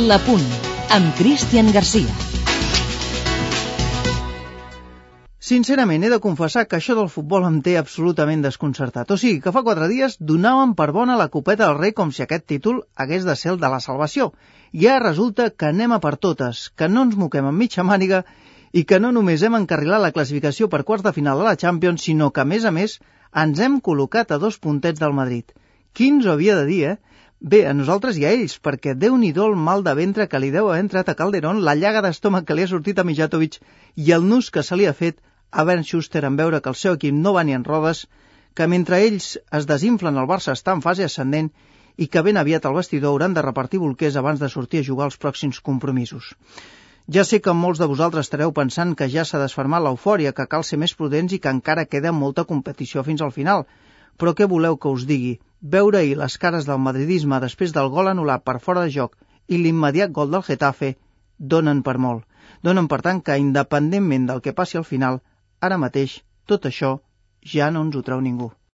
L'Apunt, amb Cristian Garcia. Sincerament, he de confessar que això del futbol em té absolutament desconcertat. O sigui, que fa 4 dies donàvem per bona la Copeta del Rei com si aquest títol hagués de ser el de la salvació. I ara resulta que anem a per totes, que no ens moquem amb mitja màniga i que no només hem encarrilat la classificació per quarts de final de la Champions, sinó que, a més, ens hem col·locat a 2 puntets del Madrid. Qui ens ho havia de dir, eh? Bé, a nosaltres i a ells, perquè Déu-n'hi-do el mal de ventre que li deu haver entrat a Calderón, la llaga d'estómac que li ha sortit a Mijatovic i el nus que se li ha fet a Bernd Schuster en veure que el seu equip no va ni en rodes, que mentre ells es desinflen el Barça està en fase ascendent i que ben aviat al vestidor hauran de repartir bolquers abans de sortir a jugar els pròxims compromisos. Ja sé que molts de vosaltres estareu pensant que ja s'ha desfermat l'eufòria, que cal ser més prudents i que encara queda molta competició fins al final. Però què voleu que us digui? Veure ahir les cares del madridisme després del gol anul·lat per fora de joc i l'immediat gol del Getafe donen per molt. Donen per tant que, independentment del que passi al final, ara mateix tot això ja no ens ho treu ningú.